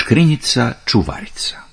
Škrinjica čuvarica.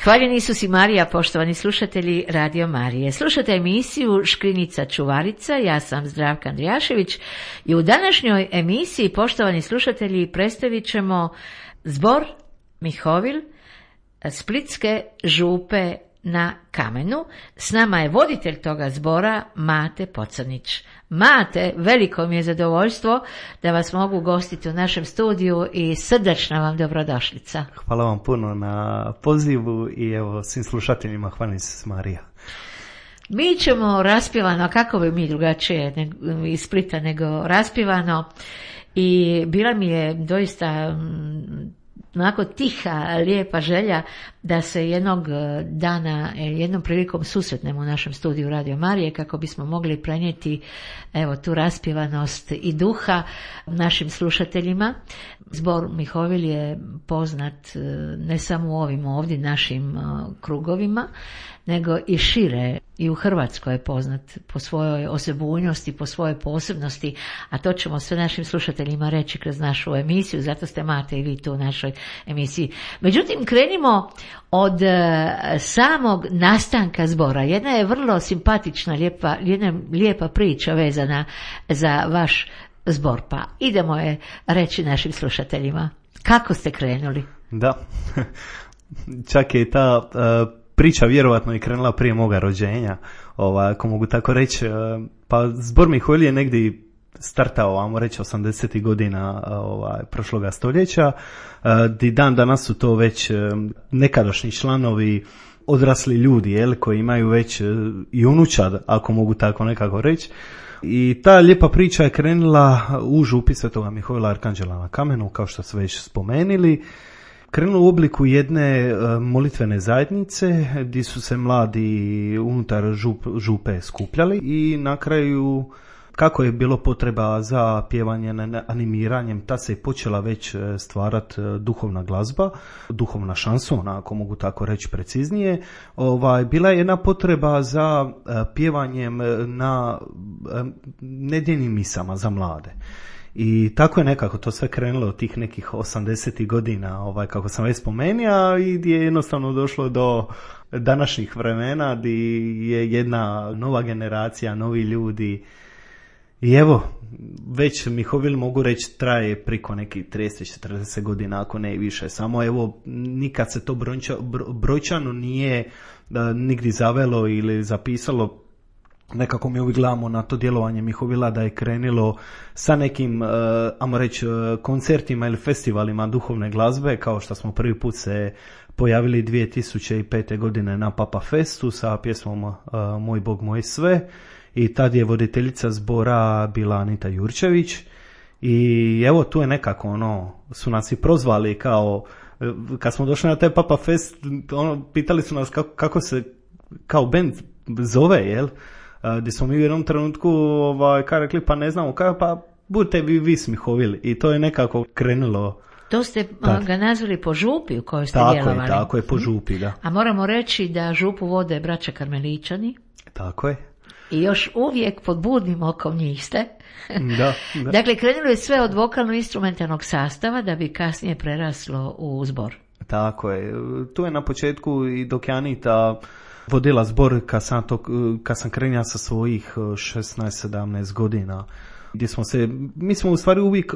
Hvaljeni Isus i Marija, poštovani slušatelji Radio Marije. Slušate emisiju Škrinjica čuvarica, ja sam Zdravka Andrijašević i u današnjoj emisiji, poštovani slušatelji, predstavit ćemo zbor Mihovil Splitske župe na Kamenu. S nama je voditelj toga zbora Mate Pocrnić. Mate, veliko mi je zadovoljstvo da vas mogu gostiti u našem studiju i srdečna vam dobrodošlica. Hvala vam puno na pozivu i evo svim slušateljima hvala Isus Marija. Mi ćemo raspjevano, kako bi mi drugačije iz Splita nego raspjevano, i bila mi je doista onako tiha, lijepa želja da se jednog dana, jednom prilikom susretnemo u našem studiju Radio Marije kako bismo mogli prenijeti evo tu raspjevanost i duha našim slušateljima. Zbor Mihovil je poznat ne samo u ovim ovdje našim krugovima, nego i šire. I u Hrvatskoj je poznat po svojoj osebujnosti, po svojoj posebnosti, a to ćemo sve našim slušateljima reći kroz našu emisiju, zato ste Mate i vi tu u našoj emisiji. Međutim, krenimo od samog nastanka zbora. Jedna je vrlo simpatična, lijepa priča vezana za vaš zbor, pa idemo je reći našim slušateljima. Kako ste krenuli? Da, čak je ta priča vjerovatno i krenula prije moga rođenja, ako mogu tako reći. Pa zbor Mihovil je negdje startao, ajmo reći, 80. godina prošloga stoljeća, di dan danas su to već nekadašnji članovi, odrasli ljudi, koji imaju već i unučad, ako mogu tako nekako reći. I ta lijepa priča je krenula u župi Svetoga Mihovila Arkanđela na Kamenu, kao što su već spomenuli. Krenula u obliku jedne molitvene zajednice gdje su se mladi unutar župe skupljali i na kraju, kako je bilo potreba za pjevanje, animiranjem, ta se je počela već stvarati duhovna glazba, duhovna šansona, ako mogu tako reći preciznije. Bila je jedna potreba za pjevanjem na nedjeljnim misama za mlade. I tako je nekako to sve krenulo od tih nekih 80. godina, kako sam već spomenuo, i gdje je jednostavno došlo do današnjih vremena, gdje je jedna nova generacija, novi ljudi. I evo, već Mihovil, mogu reći, traje priko nekih 30-40 godina, ako ne i više. Samo evo, nikad se to brojčano nije nigdje zavelo ili zapisalo. Nekako mi uvijek gledamo na to djelovanje Mihovila da je krenilo sa nekim, ajmo reći, koncertima ili festivalima duhovne glazbe, kao što smo prvi put se pojavili 2005. godine na Papa Festu sa pjesmom Moj Bog, moj sve. I tad je voditeljica zbora bila Anita Jurčević. I evo, tu je nekako, su nas i prozvali kao, kad smo došli na taj Papa Fest, pitali su nas kako se kao band zove, jel? Gdje smo mi u jednom trenutku rekli, pa ne znamo kako, pa budete vi Mihovili. I to je nekako krenulo. To ste ga nazvali po župi u kojoj ste djelovali. Tako je, po župi, da. A moramo reći da župu vode braća Karmeličani. Tako je. I još uvijek pod budnim okom njih ste. Da. Dakle, krenulo je sve od vokalno-instrumentalnog sastava da bi kasnije preraslo u zbor. Tako je. Tu je na početku i dok je Anita vodila zbor, kad sam krenula sa svojih 16-17 godina, gdje mi smo u stvari uvijek,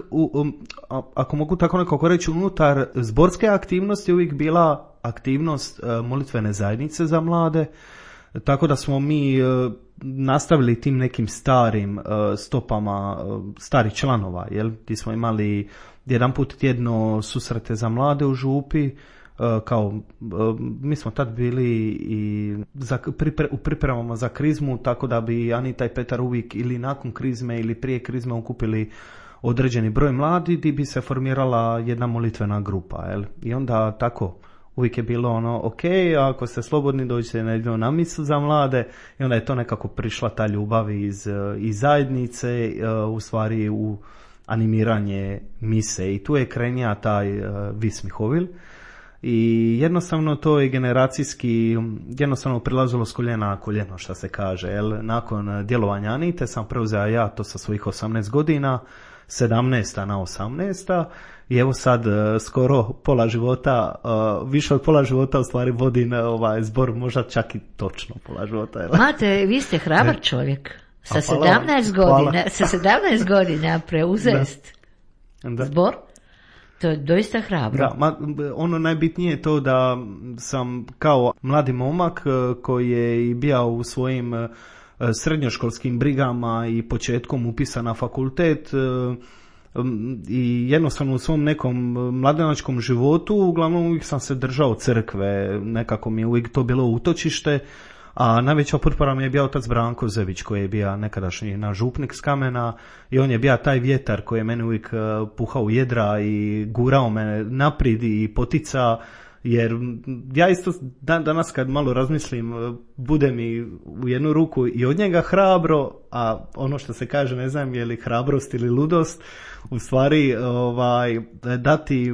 ako mogu tako nekako reći, unutar zborske aktivnosti uvijek bila aktivnost molitvene zajednice za mlade, tako da smo mi nastavili tim nekim starim stopama starih članova, gdje smo imali jedan put tjedno susrete za mlade u župi. Mi smo tad bili i u pripremama za krizmu, tako da bi Anita i Petar uvijek ili nakon krizme ili prije krizme okupili određeni broj mladi gdje bi se formirala jedna molitvena grupa. I onda tako uvijek je bilo ok, ako ste slobodni dođite na misu za mlade, i onda je to nekako prišla ta ljubav iz zajednice, u stvari u animiranje mise, i tu je krenija taj Vis Mihovil. I jednostavno to je generacijski, jednostavno prilazilo s koljena na koljeno, što se kaže. Nakon djelovanja Anite sam preuzeo ja to sa svojih 18 godina, 17. na 18. I evo sad skoro pola života, više od pola života u stvari vodim zbor, možda čak i točno pola života. Mate, vi ste hrabar čovjek. Sa 17 godina preuzest zbor. To je doista hrabro. Da, ono najbitnije je to da sam kao mladi momak koji je i bio u svojim srednjoškolskim brigama i početkom upisan na fakultet i jednostavno u svom nekom mladenačkom životu uglavnom uvijek sam se držao crkve, nekako mi je uvijek to bilo utočište. A najveća potpora mi je bio otac Branko Zević, koji je bio nekadašnji naš župnik s Kamena, i on je bio taj vjetar koji je meni uvijek puhao u jedra i gurao me naprijed i potica Jer ja isto danas kad malo razmislim, bude mi u jednu ruku i od njega hrabro, a ono što se kaže, ne znam je li hrabrost ili ludost, u stvari dati,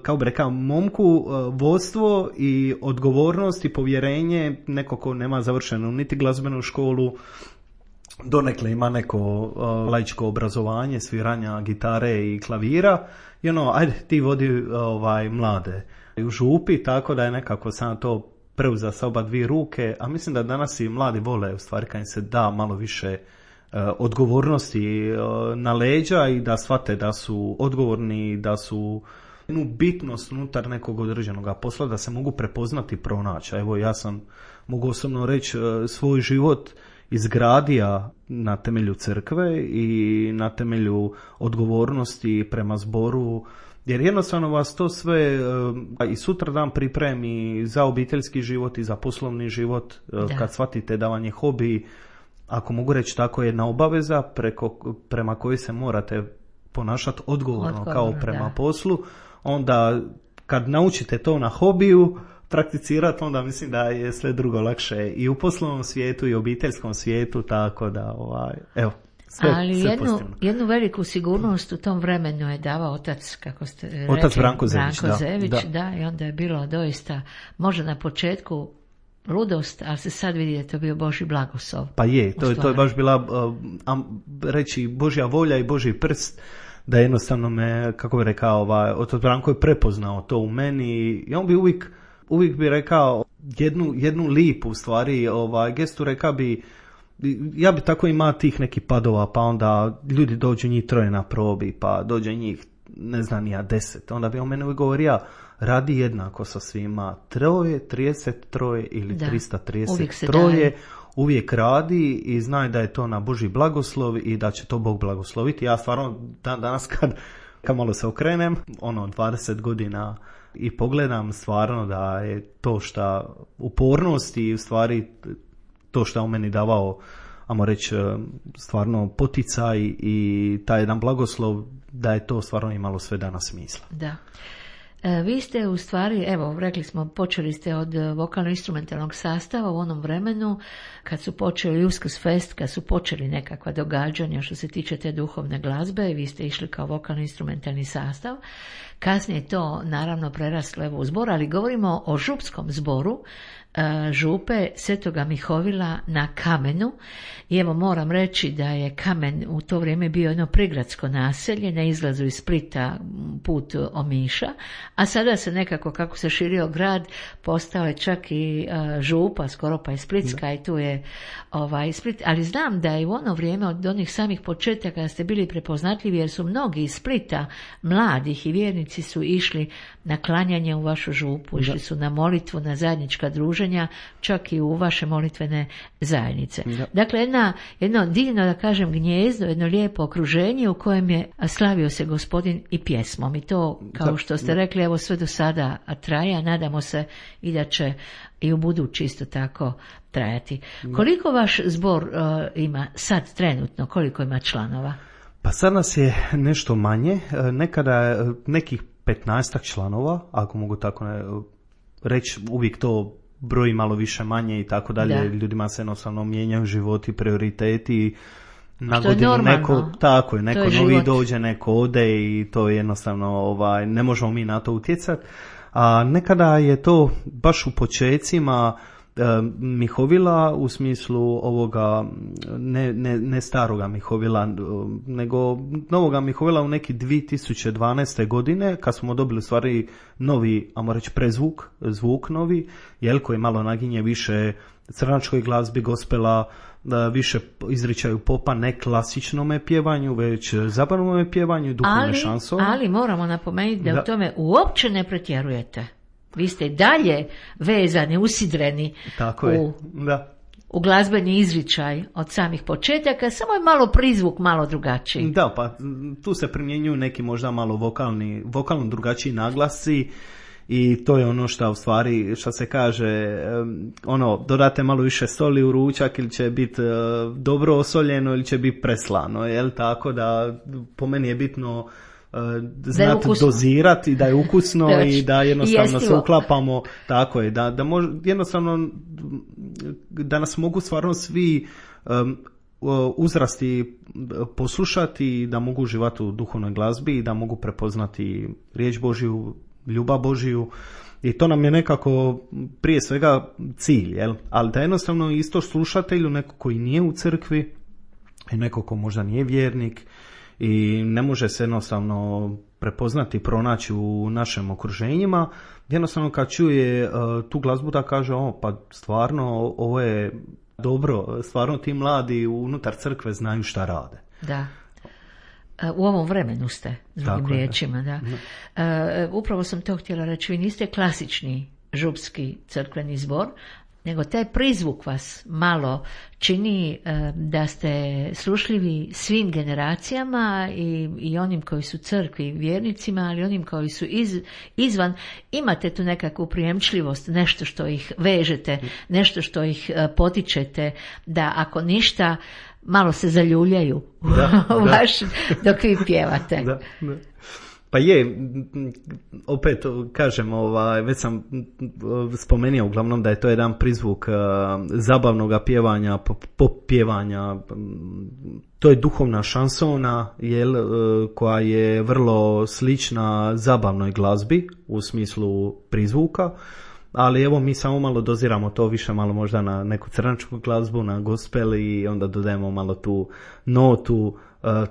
kao bi rekao, momku vodstvo i odgovornost i povjerenje, neko ko nema završenu niti glazbenu školu, donekle ima neko laičko obrazovanje, sviranja gitare i klavira, i ajde ti vodi mlade u župi, tako da je nekako sam to preuzeo sa oba dvije ruke, a mislim da danas i mladi vole, u stvari kad im se da malo više odgovornosti na leđa i da shvate da su odgovorni, da su jednu bitnost unutar nekog određenog posla, da se mogu prepoznati i pronaći. Evo, ja sam, mogu osobno reći, svoj život izgradio na temelju crkve i na temelju odgovornosti prema zboru, jer jednostavno vas to sve i sutra dan pripremi za obiteljski život i za poslovni život, kad shvatite da vam je hobi, ako mogu reći tako, jedna obaveza prema kojoj se morate ponašati odgovorno kao prema poslu, onda kad naučite to na hobiju prakticirati, onda mislim da je sve drugo lakše i u poslovnom svijetu i u obiteljskom svijetu, tako da evo. Ali jednu veliku sigurnost u tom vremenu je davao otac, kako ste rekli, otac Branko Zević, da, i onda je bilo doista, možda na početku ludost, ali se sad vidi da je to bio Božji blagoslov. Pa je, to je baš bila reći Božja volja i Božji prst, da jednostavno me, kako bi rekao, otac Branko je prepoznao to u meni i on bi uvijek bi rekao jednu lipu, u stvari, gestu, rekao bi, ja bi tako imao tih nekih padova, pa onda ljudi dođu njih 3 na probi, pa dođe njih, ne znam ja, 10. Onda bi on mene uvijek govorio, radi jednako sa svima, 3, 33 ili 333, uvijek radi i znaj da je to na Božji blagoslov i da će to Bog blagosloviti. Ja stvarno danas kad malo se okrenem, 20 godina i pogledam stvarno da je to što upornost i u stvari to što je u meni davao, ajmo reći, stvarno poticaj i taj jedan blagoslov, da je to stvarno imalo sve danas smisla. Da. Vi ste u stvari, evo, rekli smo, počeli ste od vokalno-instrumentalnog sastava u onom vremenu kad su počeli Uskrsfest, kad su počeli nekakva događanja što se tiče te duhovne glazbe i vi ste išli kao vokalno-instrumentalni sastav. Kasnije je to naravno preraslo evo u zbor, ali govorimo o župskom zboru župe Svetoga Mihovila na Kamenu. I evo moram reći da je Kamen u to vrijeme bio jedno prigradsko naselje na izlazu iz Splita put Omiša, a sada se nekako, kako se širio grad, postao je čak i župa, skoro pa i Splitska, i tu je Split. Ali znam da je u ono vrijeme od onih samih početaka kada ste bili prepoznatljivi, jer su mnogi iz Splita, mladih i vjernici, su išli na klanjanje u vašu župu, išli su na molitvu, na zajednička druženja, čak i u vaše molitvene zajednice. Dakle, jedno divno, da kažem, gnjezdo, jedno lijepo okruženje u kojem je slavio se Gospodin i pjesmom. I to, kao što ste rekli, evo sve do sada traje, a nadamo se i da će i u budući isto tako trajati. Koliko vaš zbor ima sad trenutno, koliko ima članova? Pa sad nas je nešto manje, nekada nekih 15 članova, ako mogu tako reći, uvijek to broji malo više manje i tako dalje, ljudima se jednostavno mijenjaju životi, prioriteti, na godinu neko, tako je, neko novi život dođe, neko ode i to je jednostavno, ne možemo mi na to utjecati. A nekada je to baš u počecima Mihovila, u smislu ovoga ne staroga Mihovila, nego novoga Mihovila u neki 2012. godine, kad smo dobili stvari novi, ajmo reći, zvuk novi, koji malo naginje više crnačkoj glazbi, gospela, više izričaju popa, ne klasičnome pjevanju, već zabavnome pjevanju i duhovne šansone. Ali moramo napomenuti da u tome uopće ne pretjerujete. Vi ste dalje vezani, usidreni u glazbeni izričaj od samih početaka, samo je malo prizvuk malo drugačiji. Da, pa tu se primjenjuju neki možda malo vokalno drugačiji naglasci i to je ono što u stvari, što se kaže, dodate malo više soli u ručak ili će biti dobro osoljeno ili će biti preslano, tako da po meni je bitno znati dozirati, da je ukusno i da jednostavno se uklapamo, tako je, da jednostavno da nas mogu stvarno svi uzrasti poslušati, da mogu uživati u duhovnoj glazbi i da mogu prepoznati riječ Božju, ljubav Božju. I to nam je nekako prije svega cilj, jel? Ali da jednostavno isto slušatelju, neko koji nije u crkvi i neko ko možda nije vjernik i ne može se jednostavno prepoznati i pronaći u našim okruženjima, jednostavno kad čuje tu glazbu da kaže pa stvarno ovo je dobro, stvarno ti mladi unutar crkve znaju šta rade. Da. U ovom vremenu ste, drugim riječima. Da. Upravo sam to htjela reći, vi niste klasični župski crkveni zbor, nego taj prizvuk vas malo čini da ste slušljivi svim generacijama i onim koji su crkvi vjernicima, ali onim koji su izvan. Imate tu nekakvu prijemčljivost, nešto što ih vežete, nešto što ih potičete, da ako ništa malo se zaljuljaju dok vi pjevate. Da. Pa je, opet kažem, već sam spomenuo uglavnom da je to jedan prizvuk zabavnog pjevanja, pop pjevanja. To je duhovna šansona, koja je vrlo slična zabavnoj glazbi u smislu prizvuka. Ali evo mi samo malo doziramo to više malo možda na neku crnačku glazbu, na gospel i onda dodajemo malo tu notu,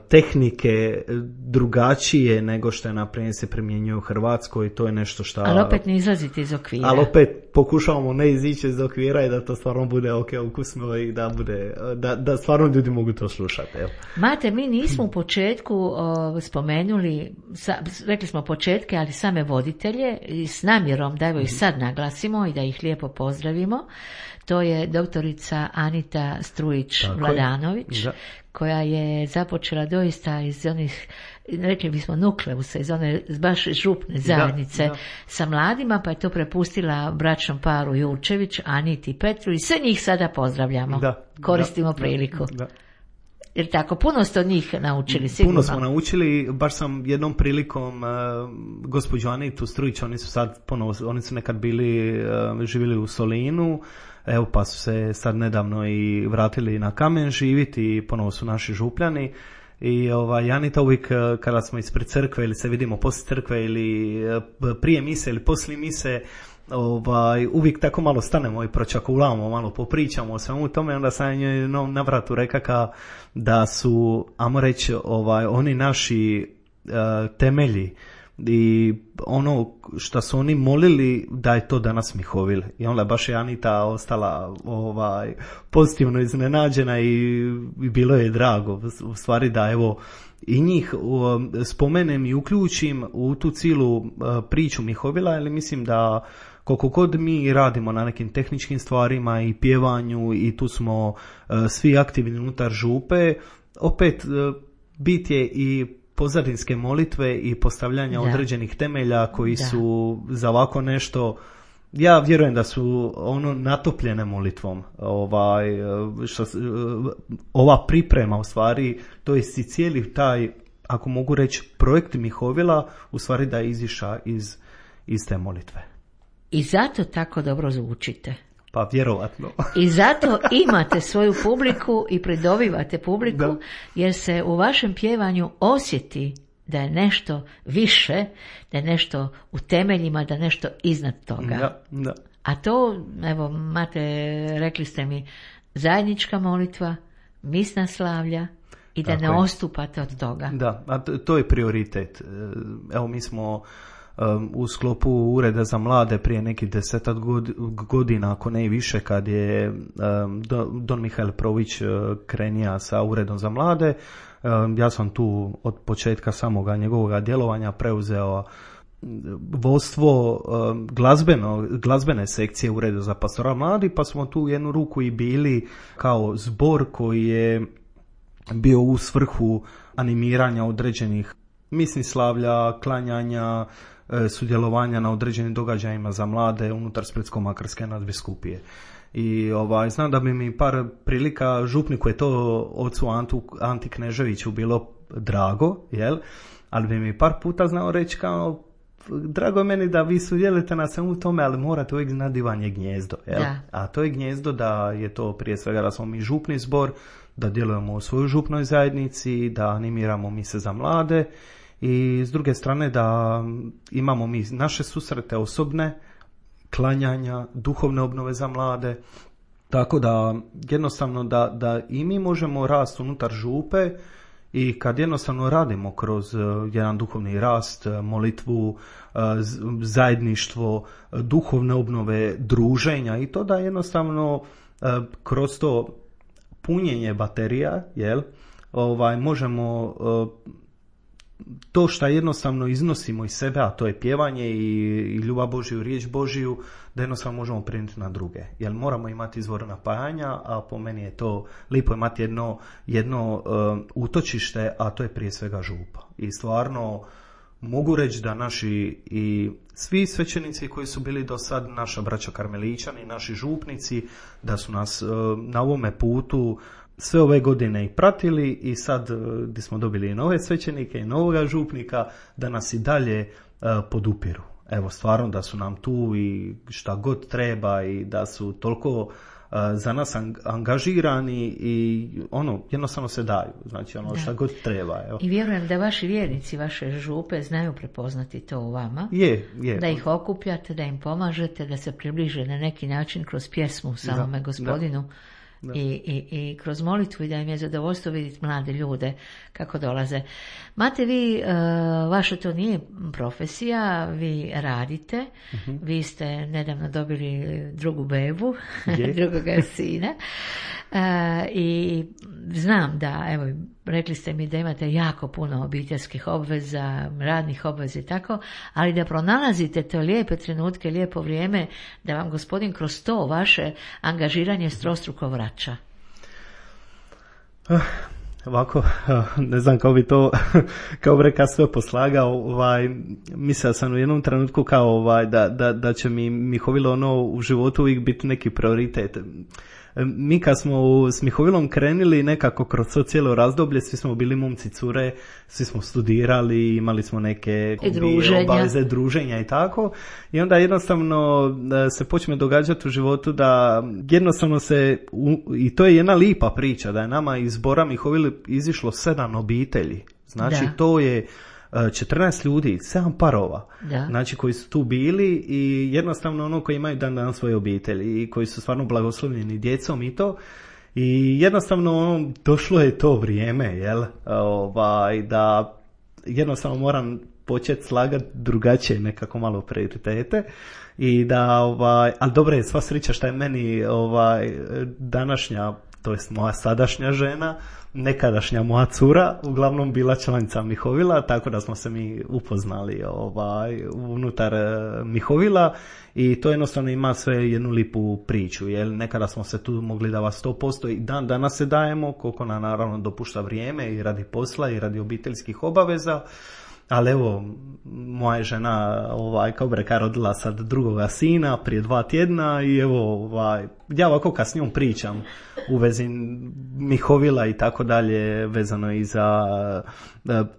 tehnike drugačije nego što je naprijed se primjenjuje u Hrvatskoj i to je nešto što... Ali opet ne izlazite iz okvira. Ali opet pokušavamo ne izići iz okvira i da to stvarno bude ukusno i da bude, da stvarno ljudi mogu to slušati. Evo. Mate, mi nismo u početku spomenuli, rekli smo početke, ali same voditelje i s namjerom da evo ih sad naglasimo i da ih lijepo pozdravimo. To je doktorica Anita Strujić-Vladanović, koja je započela doista iz onih, rekli bismo nukleusa, iz one baš župne zajednice sa mladima, pa je to prepustila bračnom paru Jurčević, Aniti i Petru i sve njih sada pozdravljamo. Koristimo priliku. Jer tako, puno ste od njih naučili, sigurno. Puno smo naučili, baš sam jednom prilikom gospođu Anitu Strujić, oni su sad ponovo, oni su nekad bili, živjeli u Solinu, evo pa su se sad nedavno i vratili na Kamen živjeti i ponovo su naši župljani. I Anita uvijek kada smo ispred crkve ili se vidimo poslije crkve ili prije mise ili poslije mise, uvijek tako malo stanemo i pročakulamo, malo popričamo o svemu tome, onda sam njoj na vratu rekaka da su, ajmo reći, oni naši temelji i ono što su oni molili da je to danas Mihovil. I onda baš je Anita ostala pozitivno iznenađena i bilo je drago u stvari da evo i njih spomenem i uključim u tu cijelu priču Mihovila, jer mislim da koliko god mi radimo na nekim tehničkim stvarima i pjevanju i tu smo svi aktivni unutar župe, opet bit je i pozadinske molitve i postavljanja određenih temelja koji su za ovako nešto, ja vjerujem da su natopljene molitvom. Ova priprema u stvari, to je i cijeli taj, ako mogu reći, projekt Mihovila u stvari da je izišao iz te molitve. I zato tako dobro zvučite. Pa vjerovatno. I zato imate svoju publiku i pridobivate publiku, jer se u vašem pjevanju osjeti da je nešto više, da je nešto u temeljima, da je nešto iznad toga. Da. A to, evo, Mate, rekli ste mi, zajednička molitva, misna slavlja i da ne odstupate od toga. Da, a to je prioritet. Evo, mi smo u sklopu Ureda za mlade prije nekih 10 godina, ako ne i više, kad je Don Mihael Prović krenija sa Uredom za mlade, ja sam tu od početka samoga njegovog djelovanja preuzeo vodstvo glazbene sekcije Ureda za pastoral mladi, pa smo tu jednu ruku i bili kao zbor koji je bio u svrhu animiranja određenih misnih slavlja, klanjanja, sudjelovanja na određenim događajima za mlade unutar Splitsko-makarske nadbiskupije. I znam da bi mi par prilika župniku je to ocu Anti Kneževiću bilo drago, jel? Ali bi mi par puta znao reći kao, drago je meni da vi sudjelujete na svemu tome, ali morate uvijek znati di vam je gnjezdo. Jel? A to je gnjezdo da je to prije svega da smo mi župni zbor, da djelujemo u svojoj župnoj zajednici, da animiramo mise za mlade i s druge strane da imamo mi naše susrete osobne, klanjanja, duhovne obnove za mlade. Tako da jednostavno da i mi možemo rasti unutar župe i kad jednostavno radimo kroz jedan duhovni rast, molitvu, zajedništvo, duhovne obnove, druženja i to da jednostavno kroz to punjenje baterija, jel, možemo to što jednostavno iznosimo iz sebe, a to je pjevanje i ljubav Božju, riječ Božju, da jednostavno možemo prenijeti na druge. Jer moramo imati izvor napajanja, a po meni je to lijepo imati jedno utočište, a to je prije svega župa. I stvarno mogu reći da naši i svi svećenici koji su bili do sad, naša braća karmeličani, naši župnici, da su nas na ovome putu sve ove godine i pratili i sad gdje smo dobili i nove svećenike i novoga župnika, da nas i dalje podupiru. Evo, stvarno da su nam tu i šta god treba i da su toliko za nas angažirani i jednostavno se daju. Znači šta god treba. Evo. I vjerujem da vaši vjernici, vaše župe znaju prepoznati to u vama. Je. Da ih okupljate, da im pomažete, da se približe na neki način kroz pjesmu samome Gospodinu. Da. I kroz molitvu i da im je zadovoljstvo vidjeti mlade ljude kako dolaze. Mate, vi, vaša to nije profesija, vi radite, vi ste nedavno dobili drugu bebu, drugoga sina i znam da, evo, rekli ste mi da imate jako puno obiteljskih obveza, radnih obveza i tako, ali da pronalazite te lijepe trenutke, lijepo vrijeme, da vam Gospodin kroz to vaše angažiranje strostruko vraća. Ovako, ne znam kako bi to, kao breka sve poslagao, mislio sam u jednom trenutku kao da će mi Mihovilo u životu uvijek biti neki prioritet. Mi kad smo s Mihovilom krenili nekako kroz to cijelo razdoblje, svi smo bili momci cure, svi smo studirali, imali smo neke obaveze, druženja i tako. I onda jednostavno se počne događati u životu da jednostavno i to je jedna lipa priča, da je nama iz zbora Mihovili izišlo 7 obitelji. Znači to je 14 ljudi, 7 parova, znači koji su tu bili i jednostavno koji imaju dan svoje obitelji i koji su stvarno blagoslovljeni djecom i to. I jednostavno došlo je to vrijeme, jel, da jednostavno moram početi slagati drugačije nekako malo prioritete i da, ali dobro je, sva sreća što je meni današnja, to jest moja sadašnja žena, nekadašnja moja cura, uglavnom bila članica Mihovila, tako da smo se mi upoznali unutar Mihovila i to jednostavno ima sve jednu lipu priču, jer nekada smo se tu mogli davati 100% i dan danas se dajemo, koliko nam naravno dopušta vrijeme i radi posla i radi obiteljskih obaveza. Ali evo, moja žena, kao breka, rodila sad drugoga sina prije 2 tjedna i evo, ja ovako kad s njom pričam u vezi Mihovila i tako dalje, vezano i za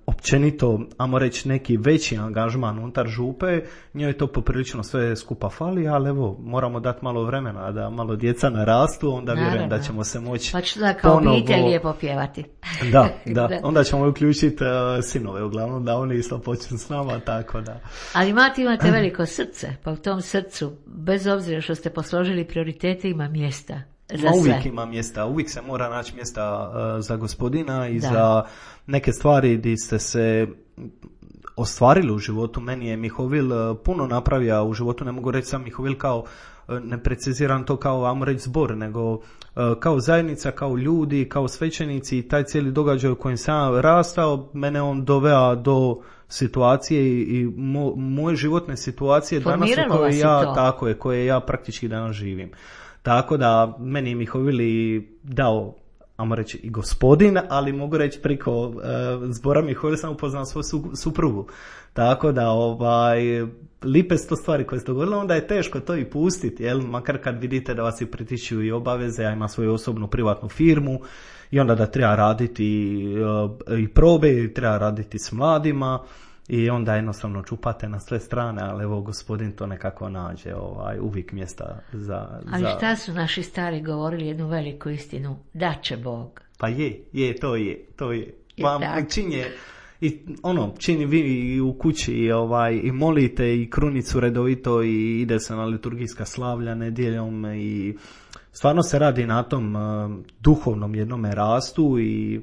općenito, ajmo reći, neki veći angažman unutar župe, njoj to poprilično sve skupa fali, ali evo, moramo dati malo vremena da malo djeca narastu, onda vjerujem da ćemo se moći pa ću da kao obitelj lijepo pjevati. Da, onda ćemo uključiti sinove, uglavnom da oni isto počnu s nama, tako da. Ali imate veliko srce, pa u tom srcu, bez obzira što ste posložili prioritete, ima mjesta. Uvijek ima mjesta, uvijek se mora naći mjesta za Gospodina i za neke stvari gdje ste se ostvarili u životu. Meni je Mihovil puno napravio u životu, ne mogu reći sam Mihovil kao, ne preciziram to kao, ajmo reći, zbor, nego kao zajednica, kao ljudi, kao svećenici i taj cijeli događaj u kojem sam rastao, mene on doveo do situacije i moje životne situacije danas koje ja praktički danas živim. Tako da meni je Mihovili dao ajmo reći i gospodin, ali mogu reći preko zbora Mihovil sam upoznao svoju suprugu. Tako da lipe su to stvari koje se dogodile, onda je teško to i pustiti, jel? Makar kad vidite da vas i pritičuju i obaveze, ja imam svoju osobnu privatnu firmu i onda da treba raditi i probe, i treba raditi s mladima i onda jednostavno čupate na sve strane, ali evo gospodin to nekako nađe uvijek mjesta za... Ali šta su naši stari govorili jednu veliku istinu? Da će Bog. Pa to je. Čini vi u kući i molite i krunicu redovito i ide se na liturgijska slavlja nedjeljom i stvarno se radi na tom duhovnom jednome rastu i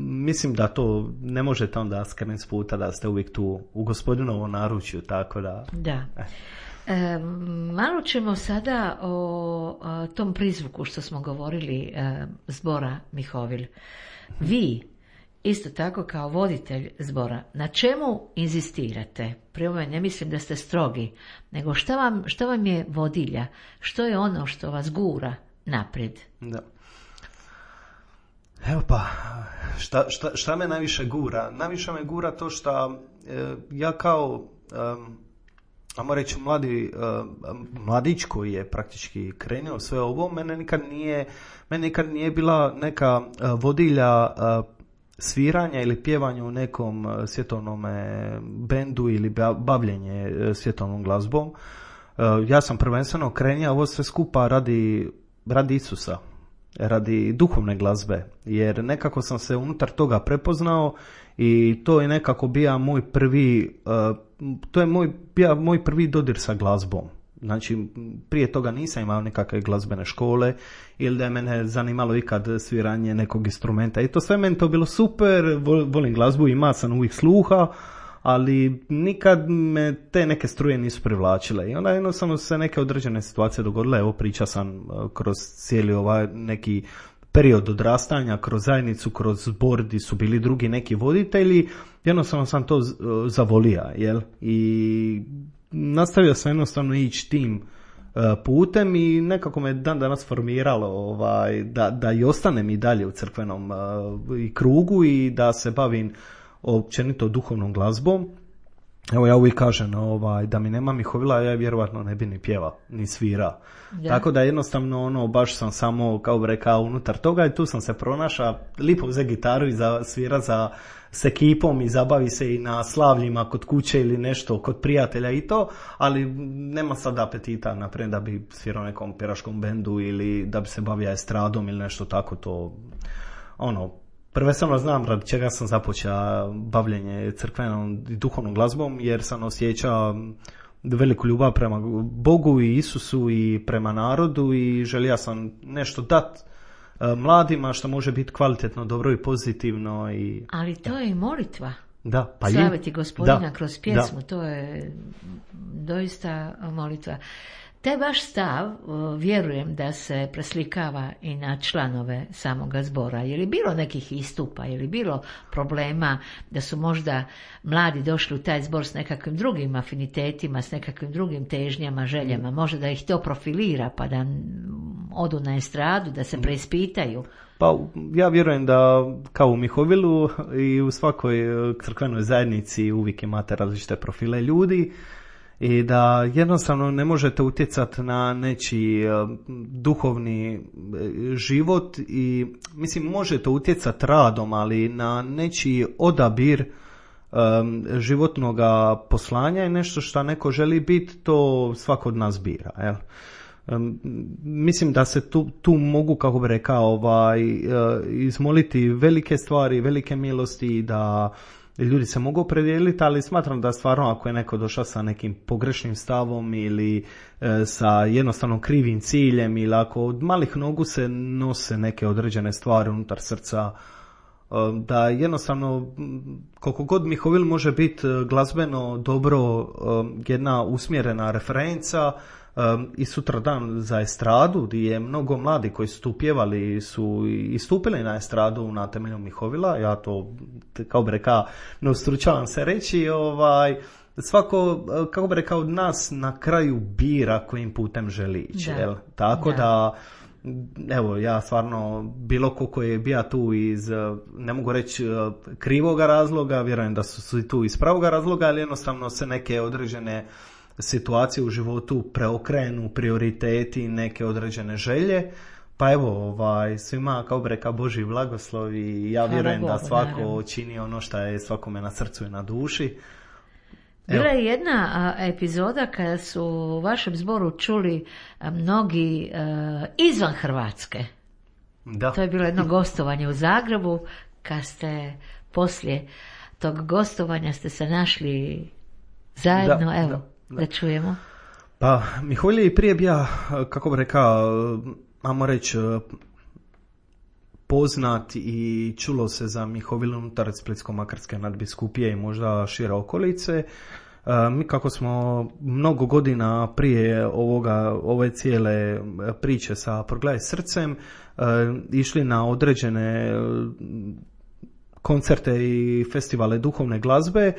mislim da to ne možete onda skrenuti s puta da ste uvijek tu u gospodinovom naručju, tako da... Da. Malo ćemo sada o tom prizvuku što smo govorili zbora Mihovil. Vi, isto tako kao voditelj zbora, na čemu inzistirate? Pri ovome ne mislim da ste strogi, nego šta vam je vodilja? Što je ono što vas gura naprijed? Da. Evo pa, šta me najviše gura? Najviše me gura to što ja kao, ajmo reći, mladić koji je praktički krenuo sve ovo, mene nikad nije bila neka vodilja sviranja ili pjevanja u nekom svjetovnom bendu ili bavljenje svjetovnom glazbom. Ja sam prvenstveno krenio ovo sve skupa radi Isusa, radi duhovne glazbe, jer nekako sam se unutar toga prepoznao i to je nekako bio moj prvi dodir sa glazbom. Znači, prije toga nisam imao nekakve glazbene škole ili da je mene zanimalo ikad sviranje nekog instrumenta. I to sve meni to bilo super, volim glazbu, ima sam uvijek sluha, ali nikad me te neke struje nisu privlačile. I onda jednostavno se neke određene situacije dogodile. Evo, priča sam kroz cijeli neki period odrastanja, kroz zajednicu, kroz zbor gdje su bili drugi neki voditelji. Jednostavno sam to zavolio, jel? I nastavio sam jednostavno ići tim putem i nekako me dan danas formiralo da i ostanem i dalje u crkvenom krugu i da se bavim općenito duhovnom glazbom. Evo, ja uvijek kažem da mi nema Mihovila, ja vjerovatno ne bi ni pjevao, ni svirao. Da. Tako da jednostavno baš sam samo, kao bi rekao, unutar toga i tu sam se pronašao, lipo uze gitaru i svira s ekipom i zabavi se i na slavljima kod kuće ili nešto kod prijatelja i to, ali nema sad apetita naprijed da bi svirao nekom pjeraškom bendu ili da bi se bavio estradom ili nešto tako, to prvenstveno znam radi čega sam započeo bavljenje crkvenom i duhovnom glazbom, jer sam osjećao veliku ljubav prema Bogu i Isusu i prema narodu i želio sam nešto dati mladima što može biti kvalitetno, dobro i pozitivno. Ali to je i molitva. Da, pa slaviti Gospodina kroz pjesmu, to je doista molitva. Taj vaš stav, vjerujem da se preslikava i na članove samoga zbora. Je li bilo nekih istupa, je li bilo problema da su možda mladi došli u taj zbor s nekakvim drugim afinitetima, s nekakvim drugim težnjama, željama, možda da ih to profilira pa da odu na estradu, da se preispitaju? Pa ja vjerujem da kao u Mihovilu i u svakoj crkvenoj zajednici uvijek imate različite profile ljudi i da jednostavno ne možete utjecati na nečiji duhovni život i mislim možete utjecati radom, ali na nečiji odabir životnog poslanja je nešto što neko želi biti, to svako od nas bira, jel? Mislim da se tu mogu, kako bi rekao, izmoliti velike stvari, velike milosti, da ljudi se mogu opredijeliti, ali smatram da stvarno ako je neko došao sa nekim pogrešnim stavom ili sa jednostavno krivim ciljem ili ako od malih nogu se nose neke određene stvari unutar srca, da jednostavno koliko god Mihovil može biti glazbeno dobro jedna usmjerena referenca, i sutradan za estradu gdje je mnogo mladi koji su tu pjevali su istupili na estradu na temelju Mihovila, ja to kao bi rekao ne ustručavam se reći, svako, kako bi rekao, od nas na kraju bira kojim putem želi ići, tako da evo, ja stvarno, bilo ko je bio tu iz, ne mogu reći krivoga razloga, vjerujem da su tu iz pravoga razloga, ali jednostavno se neke određene situacije u životu preokrenu, prioriteti, neke određene želje. Pa evo, svima kao bi rekao Božji blagoslov i ja vjerujem da svako čini ono što je svakome na srcu i na duši. Bila je jedna epizoda kada su u vašem zboru čuli mnogi izvan Hrvatske. Da. To je bilo jedno gostovanje u Zagrebu, kad ste poslije tog gostovanja ste se našli zajedno, da čujemo. Pa Mihovil je prije bio, kako bi rekao, ajmo reći, poznat i čulo se za Mihovil unutar Splitsko-makarske nadbiskupije i možda šire okolice. Mi kako smo mnogo godina prije ove cijele priče sa Progledaj srcem išli na određene koncerte i festivale duhovne glazbe,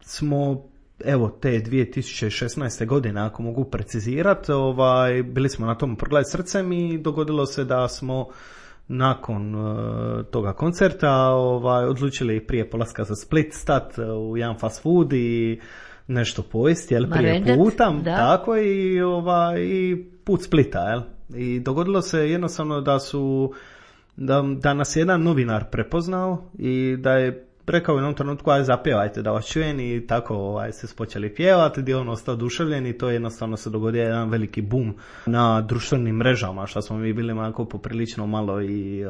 smo evo te 2016. godine, ako mogu precizirati, bili smo na tom Progledaj srcem i dogodilo se da smo nakon toga koncerta odlučili prije polaska za Split stat u jedan fast food i nešto pojesti, prije puta, tako i put Splita, I dogodilo se jednostavno da nas je jedan novinar prepoznao i da je rekao u jednom trenutku, aj zapjevajte da vas čujem, i tako se počeli pjevati, gdje on ostao oduševljen i to jednostavno se dogodio jedan veliki boom na društvenim mrežama, što smo mi bili onako poprilično malo i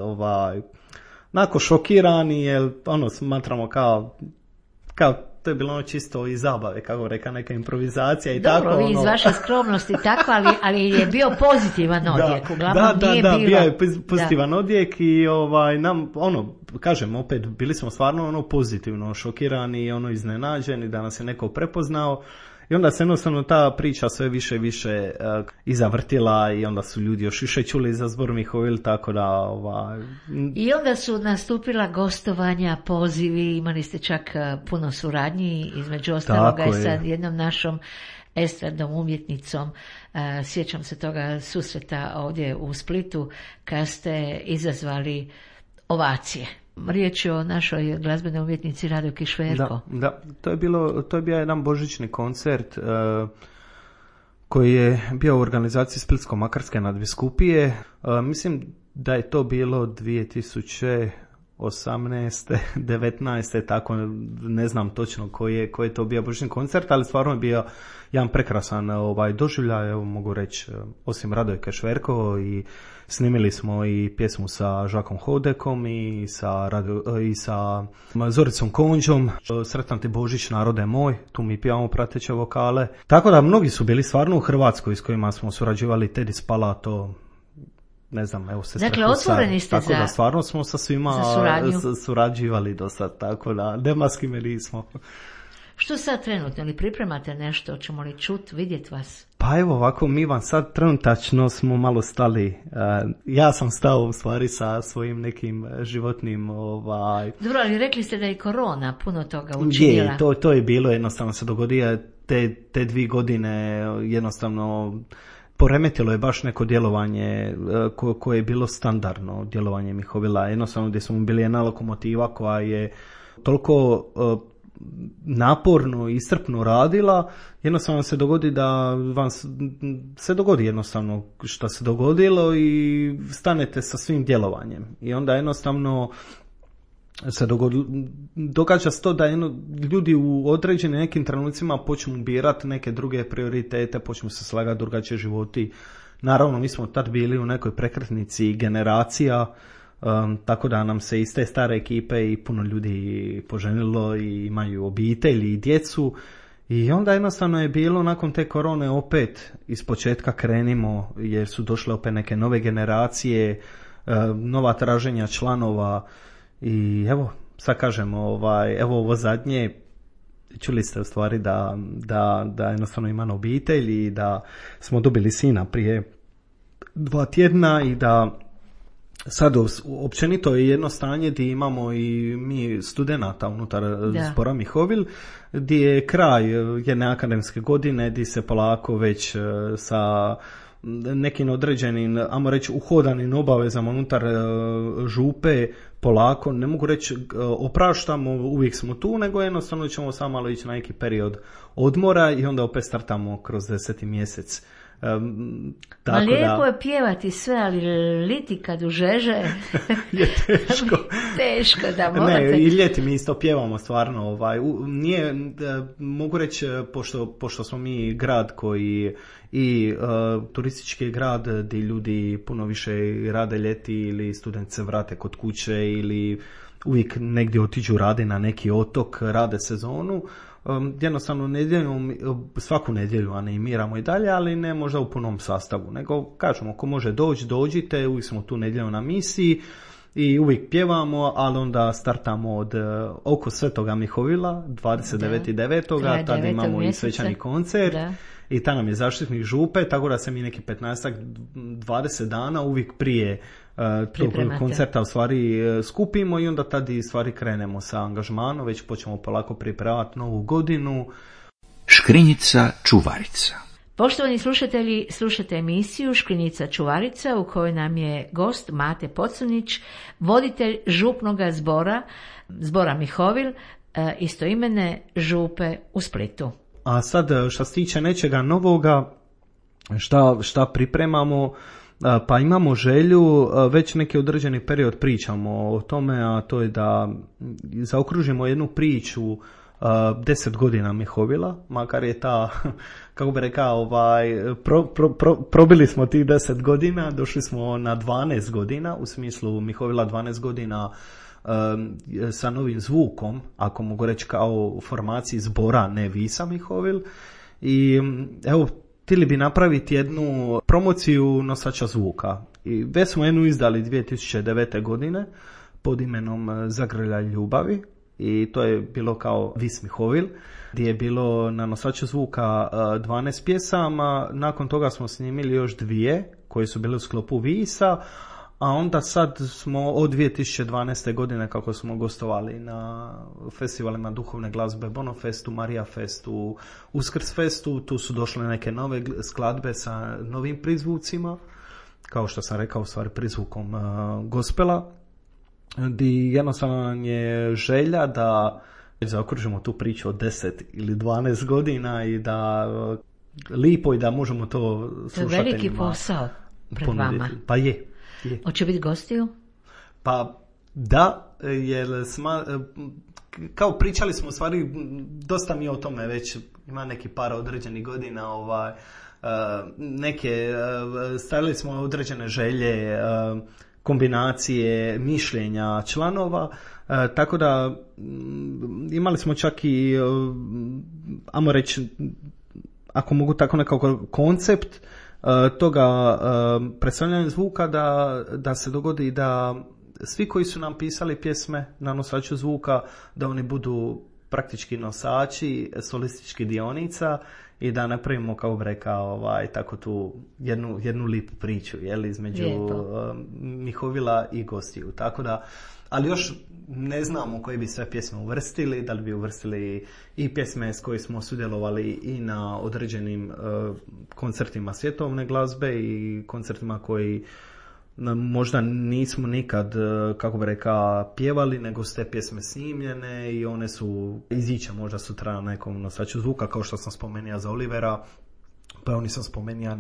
onako šokirani, jer smatramo kao to je bilo čisto iz zabave, kako reka, neka improvizacija i dobro, tako. Dobro, vi iz vaše skromnosti tako, ali je bio pozitivan odjek. Uglavnom bio je pozitivan odjek i nam, kažem, opet bili smo stvarno pozitivno šokirani i iznenađeni da nas je neko prepoznao. I onda se jednostavno ta priča sve više i više izavrtila i onda su ljudi još više čuli za zbor Mihovil, tako da... I onda su nastupila gostovanja, pozivi, imali ste čak puno suradnji, između ostaloga je sa jednom našom estradnom umjetnicom. Sjećam se toga susreta ovdje u Splitu, kad ste izazvali ovacije. Riječ je o našoj glazbenoj umjetnici Rado Kišverko. Da, to je bio jedan božićni koncert koji je bio u organizaciji Splitsko-makarske nadbiskupije. Mislim da je to bilo 2018. 19. tako, ne znam točno koji je to bio božićni koncert, ali stvarno je bio jedan prekrasan doživljaj, evo mogu reći, osim Rado Kišverko, i snimili smo i pjesmu sa Žakom Hodekom i sa Zoricom Konđom, Sretan ti Božić narode moj, tu mi pjevamo prateće vokale. Tako da mnogi su bili stvarno u Hrvatskoj s kojima smo surađivali, Tedi Spalato, ne znam, evo se dakle, otvoreni ste tako da stvarno smo sa svima surađivali do sad, tako da nema s kime nismo. Što sad trenutno, ili pripremate nešto, ćemo li čut, vidjet vas? Pa evo ovako, mi vam sad trenutačno smo malo stali. Ja sam stao u stvari sa svojim nekim životnim... Dobro, ali rekli ste da je korona puno toga učinila. To je bilo, jednostavno se dogodio te 2 godine, jednostavno poremetilo je baš neko djelovanje koje je bilo standardno djelovanje Mihovila. Jednostavno gdje smo bili jedna lokomotiva koja je toliko naporno i iscrpno radila, jednostavno se dogodi da vam se dogodi jednostavno što se dogodilo i stanete sa svim djelovanjem. I onda jednostavno se događa se to da ljudi u određenim nekim trenucima počnu birati neke druge prioritete, počnu se slagati drugačije životi. Naravno, mi smo tad bili u nekoj prekretnici generacija, tako da nam se iz te stare ekipe i puno ljudi poženilo i imaju obitelji i djecu. I onda jednostavno je bilo nakon te korone opet iz početka krenimo, jer su došle opet neke nove generacije, nova traženja članova. I evo, sad kažemo, evo ovo zadnje, čuli ste u stvari da jednostavno imam obitelj i da smo dobili sina prije 2 tjedna i da sad općenito je jedno stanje gdje imamo i mi studenata unutar zbora Mihovil, gdje je kraj jedne akademske godine, gdje se polako već sa nekim određenim, ajmo reći, uhodanim obavezama unutar župe, polako, ne mogu reći opraštamo, uvijek smo tu, nego jednostavno ćemo samo malo ići na neki period odmora i onda opet startamo kroz 10. mjesec. Ma lijepo je pjevati sve, ali liti kad užeže je teško. Teško da morate. Ne, i ljeti mi isto pjevamo stvarno. Nije, mogu reći, pošto smo mi grad koji i turistički grad gdje ljudi puno više rade ljeti ili studenti se vrate kod kuće ili uvijek negdje otiđu rade na neki otok, rade sezonu. Jednostavno nedjeljom, svaku nedjelju animiramo i dalje, ali ne možda u punom sastavu, nego kažemo ako može dođite, uvijek smo tu nedjeljom na misiji i uvijek pjevamo, ali onda startamo od oko Svetoga Mihovila 29.9. Tada imamo i svečani koncert. Da. I ta nam je zaštitnik župe, tako da se mi neki 15-20 dana uvijek prije tog koncerta u stvari skupimo i onda tada i stvari krenemo sa angažmanom, već počnemo polako pripremati novu godinu. Škrinjica čuvarica. Poštovani slušatelji, slušate emisiju Škrinjica čuvarica u kojoj nam je gost Mate Pocrnić, voditelj župnoga zbora Mihovil, istoimene župe u Splitu. A sad što se tiče nečega novoga, šta pripremamo, pa imamo želju, već neki određeni period pričamo o tome, a to je da zaokružimo jednu priču 10 godina Mihovila, makar je ta, kako bi rekao, probili smo tih 10 godina, došli smo na 12 godina, u smislu Mihovila 12 godina sa novim zvukom, ako mogu reći kao formaciji zbora ne Visa Mihovil. I evo, htjeli bi napraviti jednu promociju nosača zvuka. I već smo jednu izdali 2009. godine pod imenom Zagrljaj ljubavi i to je bilo kao Vis Mihovil, gdje je bilo na nosaču zvuka 12 pjesama. Nakon toga smo snimili još 2 koje su bile u sklopu Visa, a onda sad smo od 2012. godine kako smo gostovali na festivalima duhovne glazbe Bonofestu, Marija Festu, Uskrs Festu, tu su došle neke nove skladbe sa novim prizvucima, kao što sam rekao, u stvari prizvukom gospela, gdje jednostavno nam je želja da zaokružimo tu priču od 10 ili 12 godina i da lipo i da možemo to slušateljima. To je veliki posao pred vama. Pa je. Hoće biti gostiju? Pa da, jer kao pričali smo u stvari, dosta mi o tome već, ima neki par određenih godina, neke, stavili smo određene želje, kombinacije mišljenja članova, tako da imali smo čak i, ajmo reći, ako mogu tako nekako koncept toga predstavljanja zvuka da se dogodi da svi koji su nam pisali pjesme na nosaču zvuka, da oni budu praktički nosači solističkih dionica i da napravimo, kao bi rekao, tako tu jednu lipu priču, između Mihovila i gostiju. Tako da, ali još ne znamo koje bi sve pjesme uvrstili, da li bi uvrstili i pjesme s koje smo sudjelovali i na određenim koncertima svjetovne glazbe i koncertima koji možda nismo nikad, kako bi rekao, pjevali, nego su te pjesme snimljene i one su iziće možda sutra na nekom nosaču zvuka, kao što sam spomenuo za Olivera, pa nisam spomenuo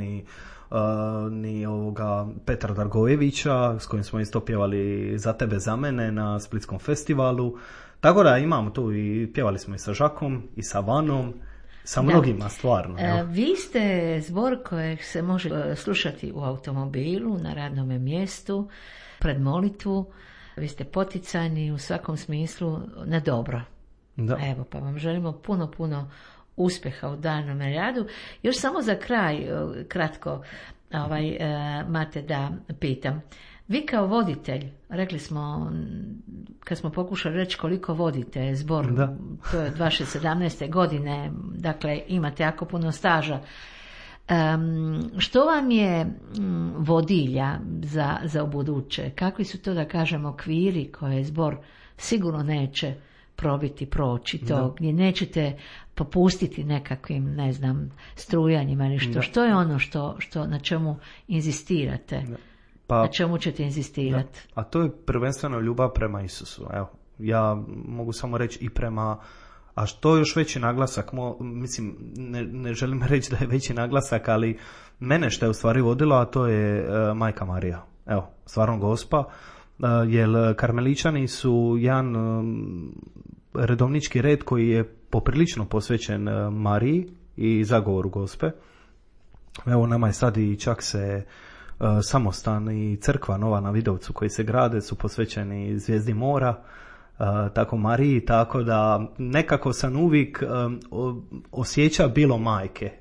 ni ovoga Petra Dargojevića, s kojim smo isto pjevali Za tebe, za mene na Splitskom festivalu. Tako da imamo tu i pjevali smo i sa Žakom i sa Vanom, sa mnogima stvarno. Vi ste zbor kojeg se može slušati u automobilu, na radnom mjestu, pred molitvu. Vi ste poticani u svakom smislu na dobro. Da. Evo, pa vam želimo puno uspjeha u daljnjem radu. Još samo za kraj, kratko, Mate, da pitam. Vi kao voditelj, rekli smo, kad smo pokušali reći koliko vodite zbor, to je od vaše 17. godine, dakle imate jako puno staža. Što vam je vodilja za ubuduće? Kakvi su to, da kažemo, okviri koje zbor sigurno neće probiti, proći to, gdje nećete popustiti nekakvim, ne znam, strujanjima ili što. Što je ono što na čemu inzistirate? Na čemu ćete inzistirati? A to je prvenstveno ljubav prema Isusu. Evo, ja mogu samo reći i prema, a što još veći naglasak, mislim, ne želim reći da je veći naglasak, ali mene što je u stvari vodilo, a to je Majka Marija. Evo, stvarno Gospa, jer karmeličani su jedan redovnički red koji je poprilično posvećen Mariji i zagovoru Gospe. Evo, nama je sad i čak se samostan i crkva nova na Vidovcu koji se grade su posvećeni zvijezdi mora, tako Mariji, tako da nekako sam uvijek osjeća bilo majke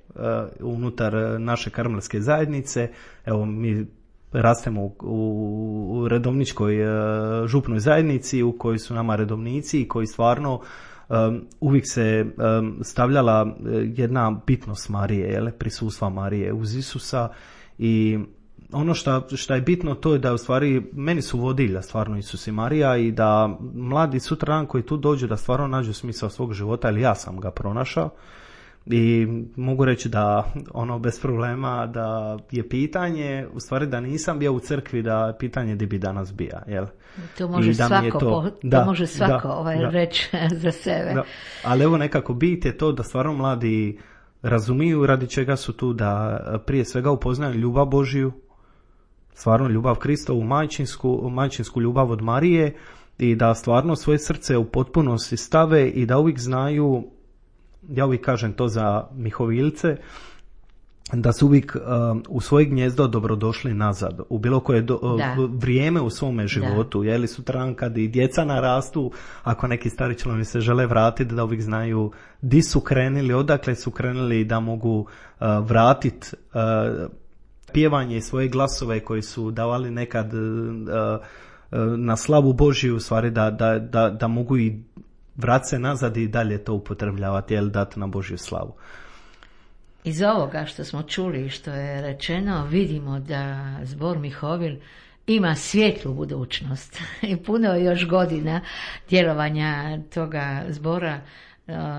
unutar naše karmelske zajednice. Evo, mi rastemo u redovničkoj župnoj zajednici u kojoj su nama redovnici i koji stvarno uvijek se stavljala jedna bitnost Marije, prisustva Marije uz Isusa. I ono što je bitno to je da u stvari meni su vodilja stvarno Isus i Marija i da mladi sutradan koji tu dođu da stvarno nađu smisao svog života, ili ja sam ga pronašao. I mogu reći da ono bez problema da je pitanje, u stvari da nisam bio u crkvi, da pitanje di bi danas bija, jel? To može svako reći za sebe. Da. Ali evo nekako bit je to da stvarno mladi razumiju radi čega su tu, da prije svega upoznaju ljubav Božiju, stvarno ljubav Kristovu, majčinsku ljubav od Marije i da stvarno svoje srce u potpunosti stave i da uvijek znaju, ja uvijek kažem to za Mihovilce, da su uvijek u svoje gnjezdo dobrodošli nazad, u bilo koje vrijeme u svome životu, jeli sutradan kad i djeca narastu, ako neki stari članovi se žele vratiti, da uvijek znaju di su krenuli, odakle su krenuli, da mogu vratiti pjevanje i svoje glasove koji su davali nekad na slavu Božiju, u stvari da mogu i vrat se nazad i dalje to upotrebljavati, jel, dati na Božju slavu. Iz ovoga što smo čuli, što je rečeno, vidimo da zbor Mihovil ima svjetlu budućnost i puno još godina djelovanja toga zbora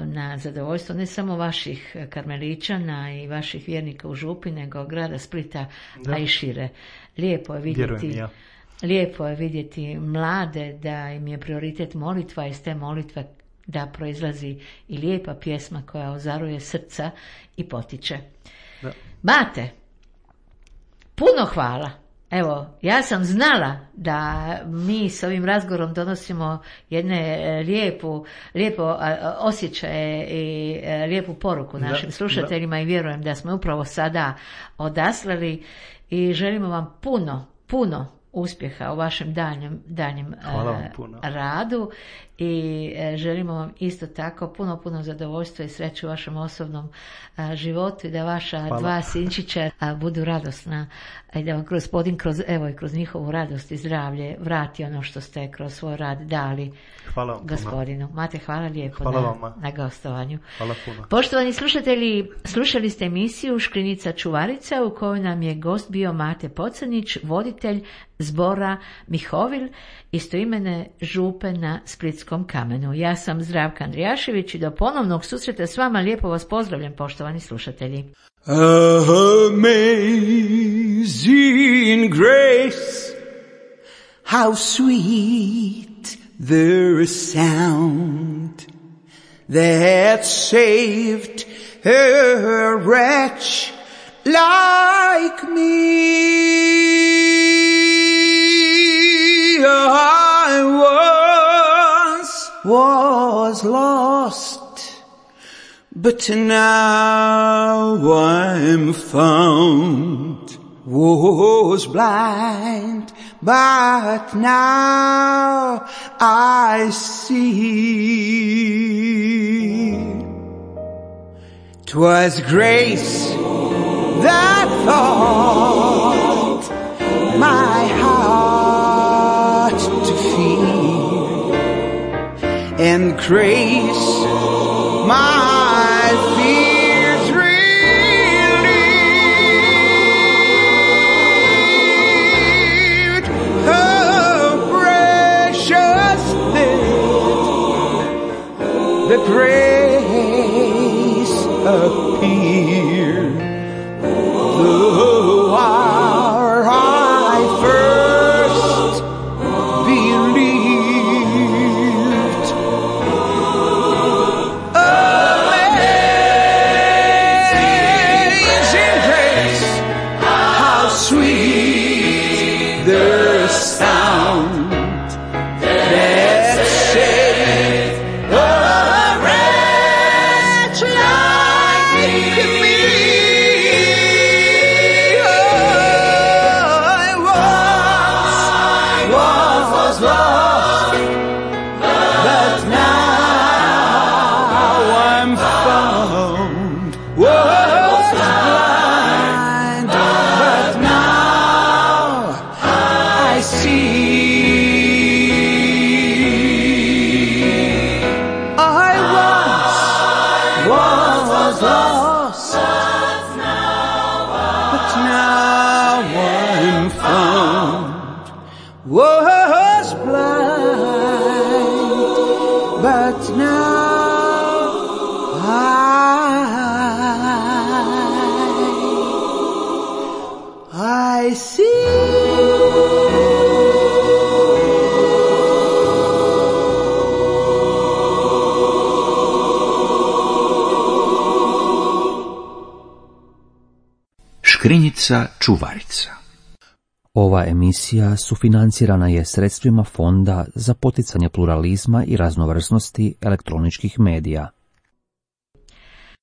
na zadovoljstvo ne samo vaših karmeličana i vaših vjernika u Župi, nego grada Splita, a i šire. Lijepo je vidjeti, lijepo je vidjeti mlade da im je prioritet molitva, iz te molitve da proizlazi i lijepa pjesma koja ozaruje srca i potiče. Da. Mate, puno hvala. Evo, ja sam znala da mi s ovim razgovorom donosimo jedne lijepo osjećaje i lijepu poruku našim slušateljima i vjerujem da smo upravo sada odaslali i želimo vam puno uspjeha u vašem danjem radu i želimo vam isto tako puno zadovoljstva i sreću u vašem osobnom životu i da vaša dva sinčića budu radosna i da vam Gospodin kroz njihovu radost i zdravlje vrati ono što ste kroz svoj rad dali Gospodinu. Mate, hvala lijepo na gostovanju. Hvala puno. Poštovani slušatelji, slušali ste emisiju Škrinjica čuvarica u kojoj nam je gost bio Mate Pocanić, voditelj zbora Mihovil, istoimene župe na Splitskom Kamenu. Ja sam Zdravka Andrijašević i do ponovnog susreta s vama lijepo vas pozdravljam, poštovani slušatelji. Amazing grace, how sweet the sound that saved a wretch like me. I was lost, but now I'm found. Was blind, but now I see. 'Twas grace that taught my heart to fear, and grace my fears relieved. Oh, precious thing grace appeared. The hour I first believed. Amazing grace, how sweet the sound that saved a wretch like me. I was lost, but now I'm found. Was blind, but now I see. I was lost, but now I'm found. Was blind, but now I see. Škrinjica čuvarica. Ova emisija sufinancirana je sredstvima Fonda za poticanje pluralizma i raznovrsnosti elektroničkih medija.